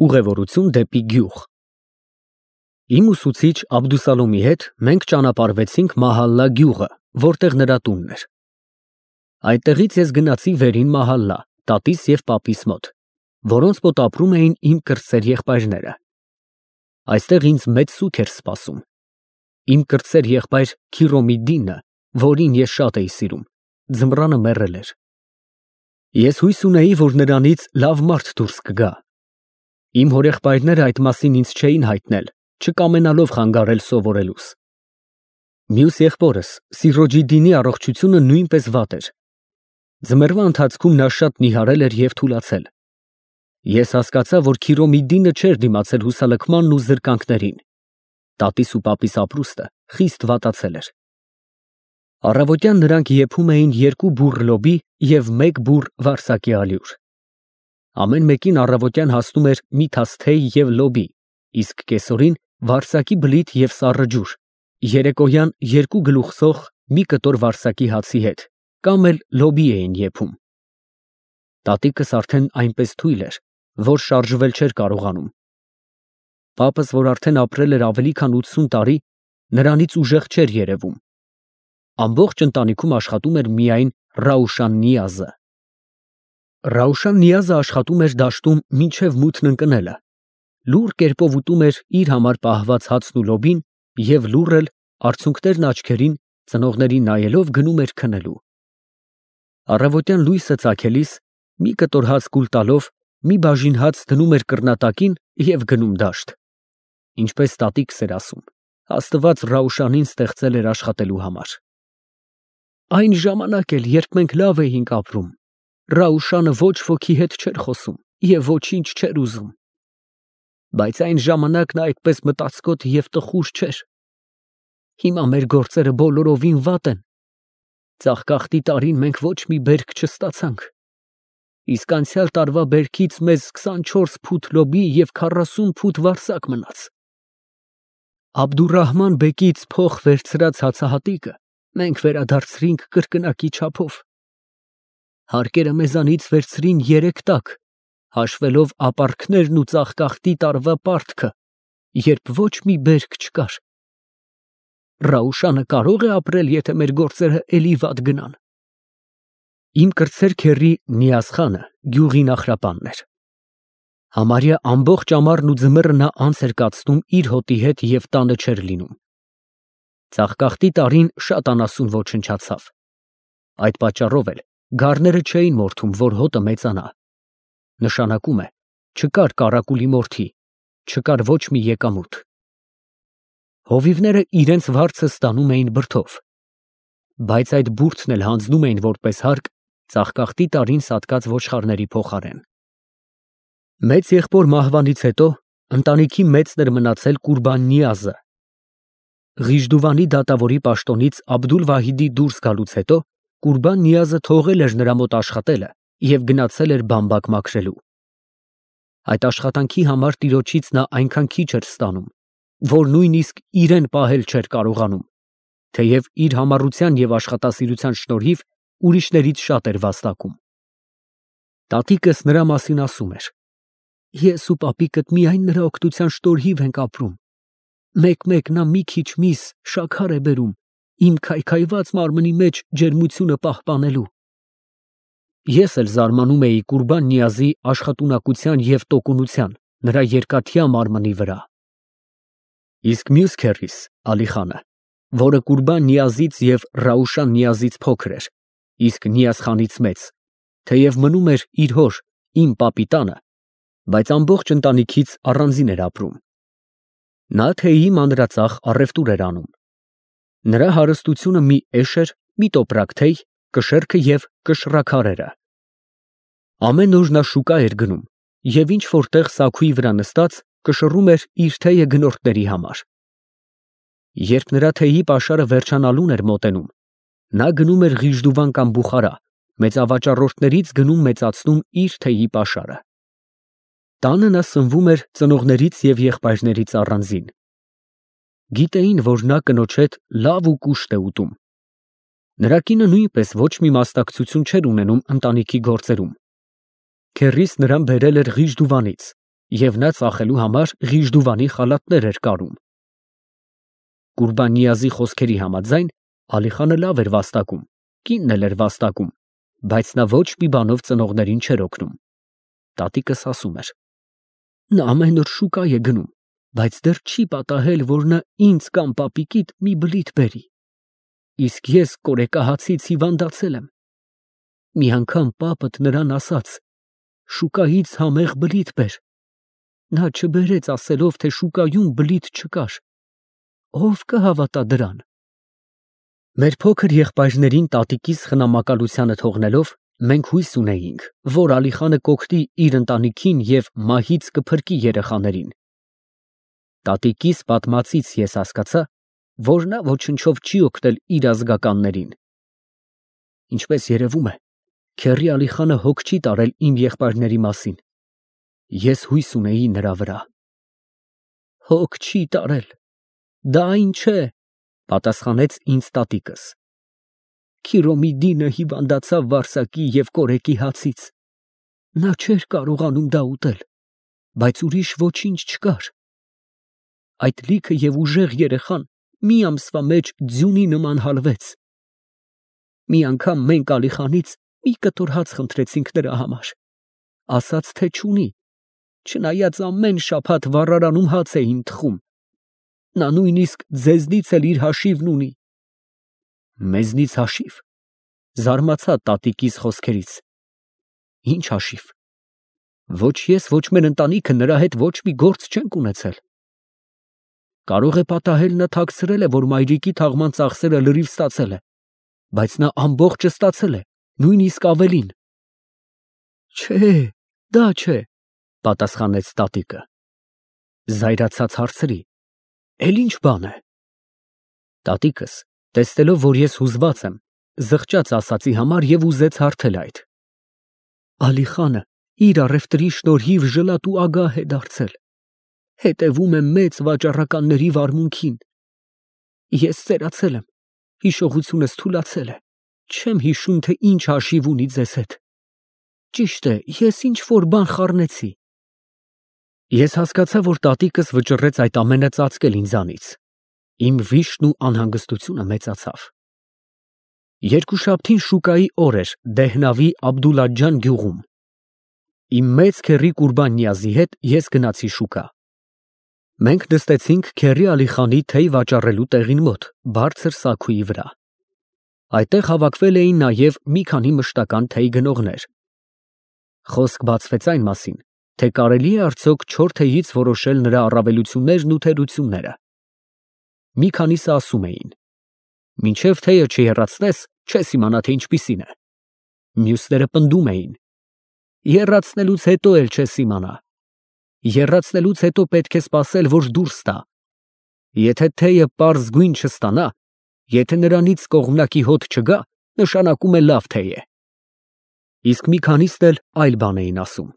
Ուղևորություն դեպի գյուղ։ Իմ ուսուցիչ Աբդուսալոմի հետ մենք ճանապարհվեցինք Մահալլա գյուղը, որտեղ նրա տունն էր։ Այդտեղից ես գնացի վերին Մահալլա, տատիս և պապիս մոտ, որոնց մոտ ապրում էին իմ կրտսեր եղբայրները։ Այստեղ ինձ մեծ սուգ էր սպասում։ Իմ կրտսեր եղբայր Քիրոմիդդինը, որին ես շատ էի սիրում, ձմռանը մեռել էր։ Ես հույս ունեի, որ նրանից լավ մարդ դուրս կգա։ Իմ հորեղբայրները այդ մասին ինձ չէին հայտնել, չկամենալով խանգարել սովորելուս։ Մյուս եղբորս Սիրոջիդդինի առողջությունը նույնպես վատ էր։ Ձմեռվա ընթացքում նա շատ նիհարել էր և թուլացել։ Ես հասկացա, որ Քիրոմիդդինը չէր դիմացել հուսալքմանն ու զրկանքներին։ Տատիս ու պապիս ապրուստը խիստ վատացել էր։ Առավոտյան նրանք եփում էին 2 բուռ լոբի և 1 բուռ վարսակի ալյուր։ Ամեն մեկին առավոտյան հասնում էր մի թաս թեյ և լոբի, իսկ կեսօրին վարսակի բլիթ և սառը ջուր, երեկոյան 2 գլուխ սոխ մի կտոր վարսակի հացի հետ, կամ էլ լոբի էին եփում։ Տատիկս արդեն այնպես թույլ էր, որ շարժվել չէր կարողանում։ Պապս, որ արդեն ապրել էր ավելի քան 80 տարի, նրանից ուժեղ չէր երևում։ Ամբողջ ընտանիքում աշխատում էր միայն Ռաուշան Նիազը։ Ռաուշան Նիազը աշխատում էր դաշտում մինչև մութն ընկնելը, լուռ կերպով ուտում էր իր համար պահված հացն ու լոբին և լուռ էլ, արցունքներն աչքերին, ծնողներին նայելով գնում էր քնելու։ Առավոտյան լույսը ծագելիս, մի կտոր հաց կուլ տալով, մի բաժին հաց դնում էր կռնատակին և գնում դաշտ։ Ինչպես տատիկս էր ասում, Աստված Ռաուշանին ստեղծել էր աշխատելու համար։ Այն ժամանակ էլ, երբ մենք լավ էինք ապրում, Ռաուշանը ոչ ոքի հետ չէր խոսում և ոչինչ չէր ուզում։ Բայց այն ժամանակ նա այդպես մտածկոտ և տխուր չէր։ Հիմա մեր գործերը բոլորովին վատ են։ Ծաղկախտի տարին մենք ոչ մի բերք չստացանք, իսկ անցյալ տարվա բերքից մեզ 24 փութ լոբի և 40 փութ վարսակ մնաց։ Աբդուրռահման բեկից փող վերցրած հացահատիկը մենք վերադարձրինք կրկնակի չափով։ Հարկերը մեզանից վերցրին 3 տակ, հաշվելով ապարքներն ու ծաղկախտի տարվա պարտքը, երբ ոչ մի բերք չկար։ Ռաուշանը կարո՞ղ է ապրել, եթե մեր գործերը էլի վատ գնան։ Իմ կրտսեր քեռի Նիազխանը գյուղի նախրապանն էր։ Համարյա ամբողջ ամառն ու ձմեռը նա անց էր կացնում իր հոտի հետ և տանը չէր լինում։ Ծաղկախտի տարին շատ անասուն ոչնչացավ։ Այդ պատճառով էլ գառները չէին մորթում, որ հոտը մեծանա։ Նշանակում է, չկար կարակուլի մորթի, չկար ոչ մի եկամուտ։ Հովիվները իրենց վարձը ստանում էին բրդով, բայց այդ բուրդն էլ հանձնում էին որպես հարկ ծաղկախտի տարին սատկած ոչխարների փոխարեն։ Մեծ եղբոր մահվանից հետո ընտանիքի մեծն էր մնացել Կուրբան Նիազը։ Ղիժդուվանի դատավորի պաշտոնից Աբդուլ֊Վահիդի դուրս գալուց հետո Կուրբան Նիազը թողել էր նրա մոտ աշխատելը և գնացել էր բամբակ մաքրելու։ Այդ աշխատանքի համար տիրոջից նա այնքան քիչ էր ստանում, որ նույնիսկ իրեն պահել չէր կարողանում, թեև իր համառության և աշխատասիրության շնորհիվ ուրիշներից շատ էր վաստակում։ Տատիկս նրա մասին ասում էր. Ես ու պապիկդ միայն նրա օգնության շնորհիվ ենք ապրում։ Մեկ-մեկ նա մի քիչ միս, շաքար է բերում, իմ քայքայված մարմնի մեջ ջերմությունը պահպանելու։ Ես էլ զարմանում էի Կուրբան Նիազի աշխատունակության և տոկունության, նրա երկաթյա մարմնի վրա։ Իսկ մյուս քեռիս Ալիխանը, որը Կուրբան Նիազից և Ռաուշան Նիազից փոքր էր, իսկ Նիազխանից մեծ, թեև մնում էր իր հոր, իմ պապի տանը, բայց ամբողջ ընտանիքից առանձին էր ապրում։ Նա թեյի մանրածախ առևտուր էր անում։ Նրա հարստությունը մի էշ էր, մի տոպրակ թեյ, կշեռքը և կշռաքարերը։ Ամեն օր նա շուկա էր գնում և ինչ որտեղ սաքուի վրա նստած կշռում էր իր թեյը գնորդների համար։ Երբ նրա թեյի պաշարը վերջանալուն էր մոտենում, նա գնում էր Ղիժդուվան կամ Բուխարա, մեծավաճառորդներից գնում մեծացնում իր թեյի պաշարը։ Տանը նա սնվում էր ծնողներից և եղբայրներից առանձին։ Գիտեին, որ նա կնոջ հետ լավ ու կուշտ է ուտում։ Նրա կինը նույնպես ոչ մի մասնակցություն չէր ունենում ընտանիքի գործերում։ Քեռիս նրան բերել էր Ղիժդուվանից և նա ծախելու համար Ղիժդուվանի խալաթներ էր կարում։ Կուրբան Նիազի խոսքերի համաձայն Ալիխանը լավ էր վաստակում, կինն էլ էր վաստակում, բայց նա ոչ մի բանով ծնողներին չէր օգնում։ Տատիկս ասում էր. նա ամեն օր շուկա է գնում, բայց դեռ չի պատահել, որ նա ինձ կամ պապիկիդ մի բլիթ բերի, իսկ ես կորեկահացից հիվանդացել եմ։ Մի անգամ պապդ նրան ասաց. շուկայից համեղ բլիթ բեր։ Նա չբերեց, ասելով, թե շուկայում բլիթ չկար։ Ո՞վ կհավատա դրան։ Մեր փոքր եղբայրներին տատիկիս խնամակալությանը թողնելով, մենք հույս ունեինք, որ Ալիխանը կօգնի իր ընտանիքին և մահից կփրկի երեխաներին։ Տատիկիս պատմածից ես հասկացա, որ նա ոչնչով չի օգնել իր ազգականներին։ Ինչպես երևում է, քեռի Ալիխանը հոգ չի տարել իմ եղբայրների մասին։ Ես հույս ունեի նրա վրա։ Հոգ չի տարել, դա այն չէ, պատասխանեց ինձ տատիկս։ Քիրոմիդինը հիվանդացավ վարսակի և կորեկի հացից։ Նա չէր կարողանում դա ուտել, բայց ուրիշ ոչինչ չկար։ Այդ լիքը և ուժեղ երեխան մի ամսվա մեջ ձյունի նման հալվեց։ Մի անգամ մենք Ալիխանից մի կտոր հաց խնդրեցինք նրա համար, ասաց, թե չունի, չնայած ամեն շաբաթ վառարանում հաց էին թխում։ Նա նույնիսկ ձեզնից էլ իր հաշիվն ունի։ Մեզնից հաշիվ, զարմացա տատիկիս խոսքերից։ Ինչ հաշիվ։ Ոչ ես, ոչ մեր ընտանիքը նրա հետ ոչ մի գործ չենք ունեցել։ Կարող է պատահել նա թաքցրել է, որ մայրիկի թաղման ծախսերը լրիվ ստացել է, բայց նա ամբողջը ստացել է, նույնիսկ ավելին։ Չէ, դա չէ, պատասխանեց տատիկը։ Զայրացած հարցրի. Էլ ինչ բան է։ Տատիկս, տեսնելով, որ ես հուզված եմ, զղջաց ասածի համար և ուզեց հարթել այդ։ Ալիխանը իր առևտրի շնորհիվ ժլատ ու ագահ է դարձել, հետևում է մեծ վաճառականների վարմունքին։ Ես ծերացել եմ, հիշողությունս թուլացել է, չեմ հիշում, թե ինչ հաշիվ ունի ձեզ հետ։ Ճիշտ է, ես ինչ-որ բան խառնեցի։ Ես հասկացա, որ տատիկս վճռեց այդ ամենը ծածկել ինձանից։ Իմ վիշտն ու անհանգստությունը մեծացավ։ Երկուշաբթին շուկայի օր էր Դեհնավի Աբդուլաջան գյուղում։ Իմ մեծ քեռի Կուրբան Նիազի հետ ես գնացի շուկա։ Մենք նստեցինք քեռի Ալիխանի թեյ վաճառելու տեղին մոտ, բարձր սաքույի վրա։ Այդտեղ հավաքվել էին նաև մի քանի մշտական թեյ գնողներ։ Խոսք բացվեց այն մասին, թե կարելի է արդյոք չոր թեյից որոշել նրա առավելություններն ու թերությունները։ Մի քանիսը ասում էին. մինչև թեյը չեռացնես, չես իմանա, թե ինչպիսին է։ Մյուսները պնդում էին. եռացնելուց հետո էլ չես իմանա։ Եռացնելուց հետո պետք է սպասել, որ դուրս տա։ Եթե թեյը պարզ գույն չստանա, եթե նրանից կողմնակի հոտ չգա, նշանակում է լավ թեյ է։ Իսկ մի քանիսն էլ այլ բան էին ասում։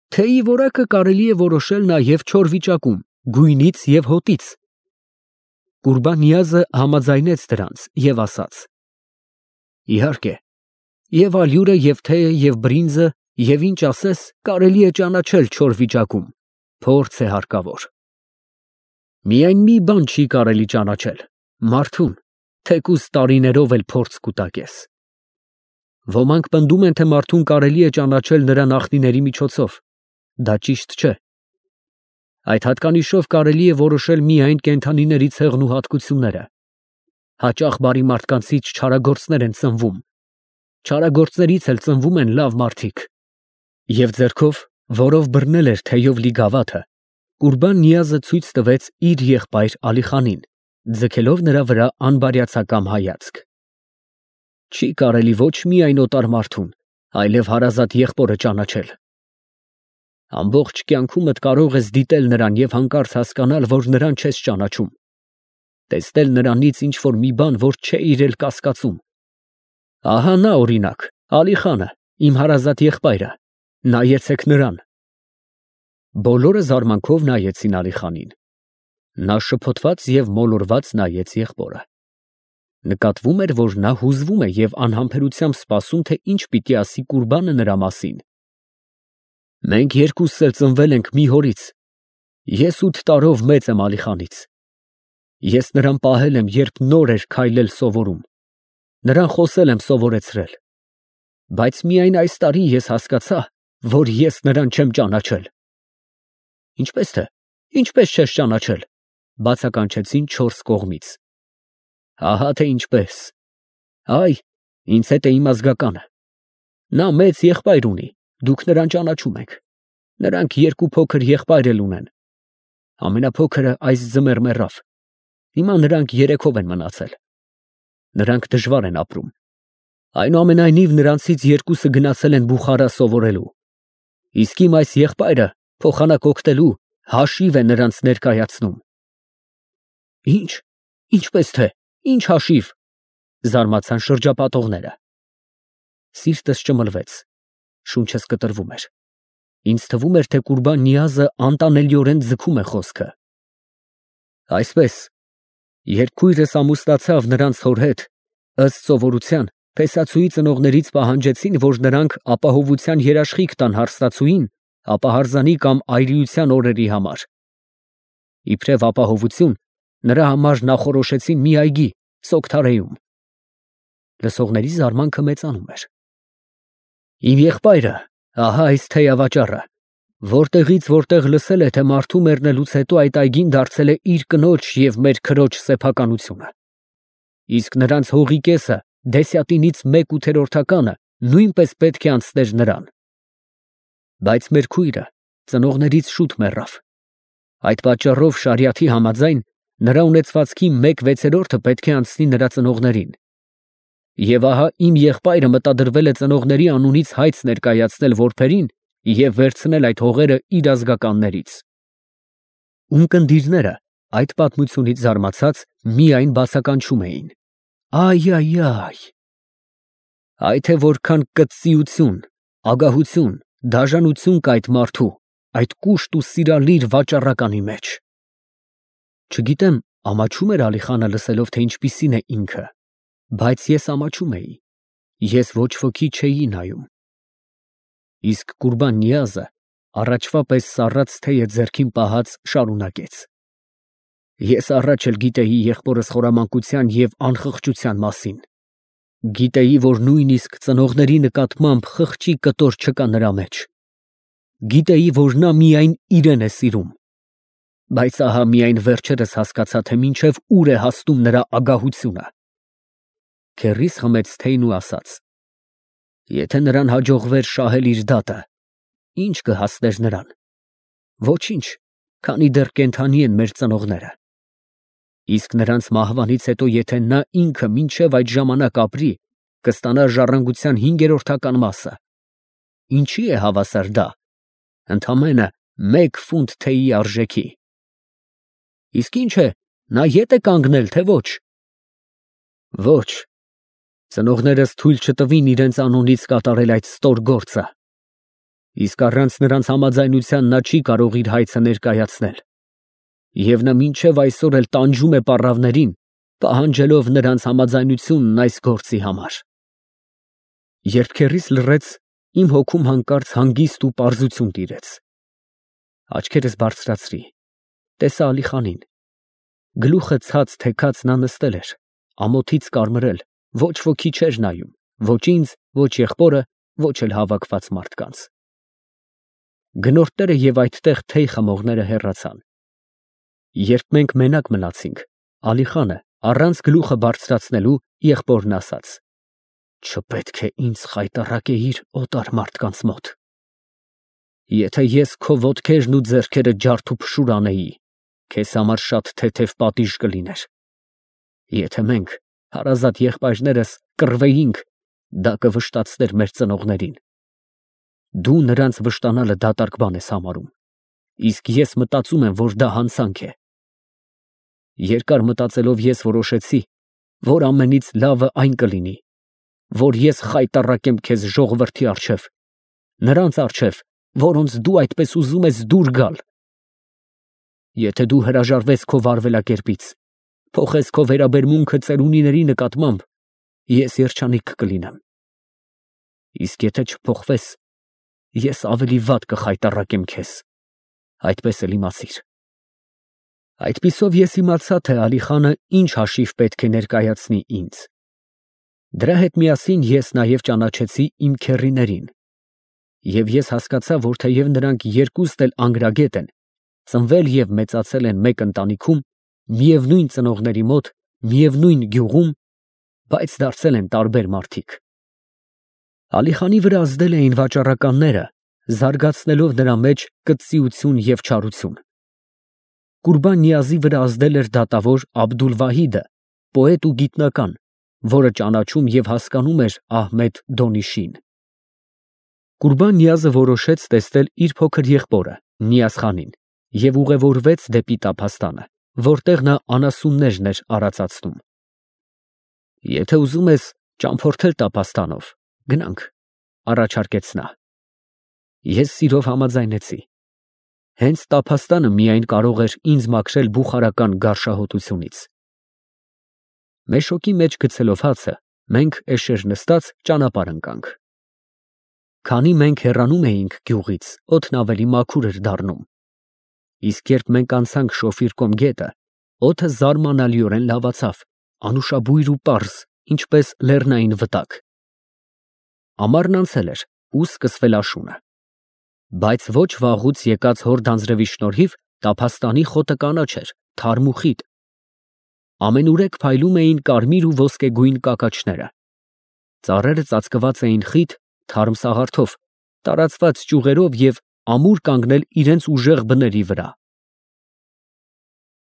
Թեյի որակը կարելի է որոշել նաև չոր վիճակում, գույնից և հոտից։ Կուրբան Նիազը համաձայնեց դրանց և ասաց. Իհարկե, և ալյուրը, և թեյը, և բրինձը, և ինչ ասես, կարելի է ճանաչել չոր վիճակում, փորձ է հարկավոր։ Միայն մի բան չի կարելի ճանաչել, մարդուն, թեկուզ տարիներով էլ փորձ կուտակես։ Ոմանք պնդում են, թե մարդուն կարելի է ճանաչել նրա նախնիների միջոցով, դա ճիշտ չէ։ Այդ հատկանիշով կարելի է որոշել միայն կենդանիների ցեղն ու հատկությունները։ Հաճախ բարի մարդկանցից չարագործներ են ծնվում, չարագործներից էլ ծնվում են լավ մարդիկ։ Եվ ձեռքով, որով բռնել էր թեյով լի գավաթը, Կուրբան Նիազը ցույց տվեց իր եղբայր Ալիխանին, ձգելով նրա վրա անբարյացակամ հայացք։ Չի կարելի ոչ միայն օտար մարդուն, այլև հարազատ եղբորը ճանաչել։ Ամբողջ կյանքումդ կարող ես դիտել նրան և հանկարծ հասկանալ, որ նրան չես ճանաչում, տեսնել նրանից ինչ-որ մի բան, որ չէ իրել կասկածում։ Ահա նա օրինակ, Ալիխանը, իմ հարազատ եղբայրը, նայեցեք նրան։ Բոլորը զարմանքով նայեցին Ալիխանին։ Նա շփոթված և մոլորված նայեց եղբորը։ Նկատվում էր, որ նա հուզվում է և անհամբերությամբ սպասում, թե ինչ պիտի ասի Կուրբանը նրա մասին։ Մենք երկուսս էլ ծնվել ենք մի հորից։ Ես 8 տարով մեծ եմ Ալիխանից։ Ես նրան պահել եմ, երբ նոր էր քայլել սովորում, նրան խոսել եմ սովորեցրել, բայց միայն այս տարի ես հասկացա, որ ես նրան չեմ ճանաչել։ Ինչպես թե, ինչպես չես ճանաչել, բացականչեցին 4 կողմից։ Ահա թե ինչպես։ Այ, ինձ հետ է իմ ազգականը։ Նա մեծ եղբայր ունի, դուք նրան ճանաչում եք։ Նրանք 2 փոքր եղբայր էլ ունեն։ Ամենափոքրը այս ձմեռ մեռավ։ Հիմա նրանք 3-ով են մնացել։ Նրանք դժվար են ապրում։ Այնուամենայնիվ նրանցից 2-ը գնացել են Բուխարա սովորելու։ Իսկ իմ այս եղբայրը փոխանակ օգտելու հաշիվ է նրանց ներկայացնում։ Ինչ, ինչպես թե, ինչ հաշիվ, զարմացան շրջապատողները։ Սիրտս ճմլվեց, շունչս կտրվում էր։ Ինձ թվում էր, թե Կուրբան Նիազը անտանելիորեն ձգում է խոսքը։ Այսպես, երբ քույրս ամուսնացավ նրանց հոր հետ, ըստ սովորության, փեսացուի ծնողներից պահանջեցին, որ նրանք ապահովության երաշխիք տան հարստացուին ապահարզանի կամ այրիության օրերի համար։ Իբրև ապահովություն, նրա համար նախորոշեցին մի այգի Սոկթարեում։ Լսողների զարմանքը մեծանում էր։ Իմ եղբայրը, ահա այս թեյավաճառը, որտեղից որտեղ լսել է, թե մարդու մեռնելուց հետո այդ այգին դարձել է իր կնոջ և մեր քրոջ սեփականությունը։ Իսկ նրանց հողի կեսը, դեսյատինից 1/8-ը նույնպես պետք է անցներ նրան։ Բայց մեր քույրը ծնողներից շուտ մեռավ։ Այդ պատճառով շարիաթի համաձայն նրա ունեցվածքի 1/6-ը պետք է անցնի նրա ծնողներին։ Եվ ահա իմ եղբայրը մտադրվել է ծնողների անունից հայց ներկայացնել որբերին և վերցնել այդ հողերը իր ազգականներից։ Ունկնդիրները այդ պատմությունից զարմացած միայն բացականչում էին։ Այ, այ թե որքան կծիություն, ագահություն, դաժանություն կա այդ մարդու, այդ կուշտ ու սիրալիր վաճառականի մեջ։ Չգիտեմ, ամաչում էր Ալիխանը լսելով, թե ինչպիսին է ինքը, բայց ես ամաչում էի, ես ոչ ոքի չէի նայում։ Իսկ Կուրբան Նիազը առաջվա պես սառած թեյը ձեռքին պահած շարունակեց. Ես առաջ էլ գիտեի եղբորս խորամանկության և անխղճության մասին։ Գիտեի, որ նույնիսկ ծնողների նկատմամբ խղճի կտոր չկա նրա մեջ։ Գիտեի, որ նա միայն իրեն է սիրում։ Բայց ահա միայն վերջերս հասկացա, թե մինչև ուր է հասնում նրա ագահությունը։ Քեռիս խմեց թեյն ու ասաց. Եթե նրան հաջողվեր շահել իր դատը, ի՞նչ կհասներ նրան։ Ոչինչ, քանի դեռ կենդանի են մեր ծնողները։ Իսկ նրանց մահվանից հետո, եթե նա ինքը մինչև այդ ժամանակ ապրի, կստանա ժառանգության 5/5 մասը։ Ինչի է հավասար դա։ Ընդամենը 1 ֆունտ թեյի արժեքի։ Իսկ ինչ է, նա ետ է կանգնել, թե ոչ։ Ոչ, ծնողներս թույլ չտվին իրենց անունից կատարել այդ ստոր գործը։ Իսկ առանց նրանց համաձայնության նա չի կարող իր հայցը ներկայացնել։ Եվ նա մինչև այսօր էլ տանջում է պառավներին, պահանջելով նրանց համաձայնությունն այս գործի համար։ Երբ քեռիս լռեց, իմ հոգում հանկարծ հանգիստ ու պարզություն տիրեց։ Աչքերս բարձրացրի, տեսա Ալիխանին։ Գլուխը ցած թեքած նա նստել էր, ամոթից կարմրել, ոչ ոքի չէր նայում, ոչ ինձ, ոչ եղբորը, ոչ էլ հավաքված մարդկանց։ Գնորդները և այդտեղ թեյ խմողները հեռացան։ Երբ մենք մենակ մնացինք, Ալիխանը, առանց գլուխը բարձրացնելու, եղբորն ասաց. Չպետք է ինձ խայտառակեիր օտար մարդկանց մոտ։ Եթե ես քո ոտքերն ու ձեռքերը ջարդ ու փշուր անեի, քեզ համար շատ թեթև պատիժ կլիներ։ Եթե մենք, հարազատ եղբայրներս, կռվեինք, դա կվշտացներ մեր ծնողներին։ Դու նրանց վշտանալը դատարկ բան ես համարում, իսկ ես մտածում եմ, որ դա հանցանք է։ Երկար մտածելով ես որոշեցի, որ ամենից լավը այն կլինի, որ ես խայտառակեմ քեզ ժողովրդի առջև, նրանց առջև, որոնց դու այդպես ուզում ես դուր գալ։ Եթե դու հրաժարվես քո վարվելակերպից, փոխես քո վերաբերմունքը ծերունիների նկատմամբ, ես երջանիկ կլինեմ։ Իսկ եթե չփոխվես, ես ավելի վատ կխայտառակեմ քեզ, այդպես էլ իմացիր։ Այդպիսով ես իմացա, թե Ալիխանը ինչ հաշիվ պետք է ներկայացնի ինձ։ Դրա հետ միասին ես նաև ճանաչեցի իմ քեռիներին, և ես հասկացա, որ թեև նրանք երկուստ էլ անգրագետ են, ծնվել և մեծացել են մեկ ընտանիքում, միևնույն ծնողների մոտ, միևնույն գյուղում, բայց դարձել են տարբեր մարդիկ։ Ալիխանի վրա ազդել էին վաճառականները, զարգացնելով նրա մեջ կծծիություն և չարություն։ Կուրբան Նիազի վրա ազդել էր դատավոր Աբդուլ֊Վահիդը, պոետ ու գիտնական, որը ճանաչում և հասկանում էր Ահմեդ Դոնիշին։ Կուրբան Նիազը որոշեց տեսնել իր փոքր եղբորը Նիազխանին և ուղևորվեց դեպի տափաստանը, որտեղ նա անասուններն էր արածացնում։ «Եթե ուզում ես ճամփորդել տափաստանով, գնանք», առաջարկեց նա։ Ես սիրով համաձայնեցի։ Հենց տափաստանը միայն կարող էր ինձ մաքրել բուխարական գարշահոտությունից։ Մեշոկի մեջ գցելով հացը, մենք էշեր նստած ճանապարհ ընկանք։ Քանի մենք հեռանում էինք գյուղից, օդն ավելի մաքուր էր դառնում, իսկ երբ մենք անցանք Շոֆիր Կոմ գետը, օդը զարմանալիորեն լավացավ, անուշաբույր ու պարզ, ինչպես լեռնային վտակ։ Ամառն անցել էր ու սկսվել աշունը, բայց ոչ վաղուց եկած հորդ անձրևի շնորհիվ տափաստանի խոտը կանաչ էր, թարմ ու խիտ։ Ամենուրեք փայլում էին կարմիր ու ոսկեգույն կակաչները։ Ծառերը ծածկված էին խիտ, թարմ սաղարթով, տարածված ճյուղերով և ամուր կանգնել իրենց ուժեղ բների վրա։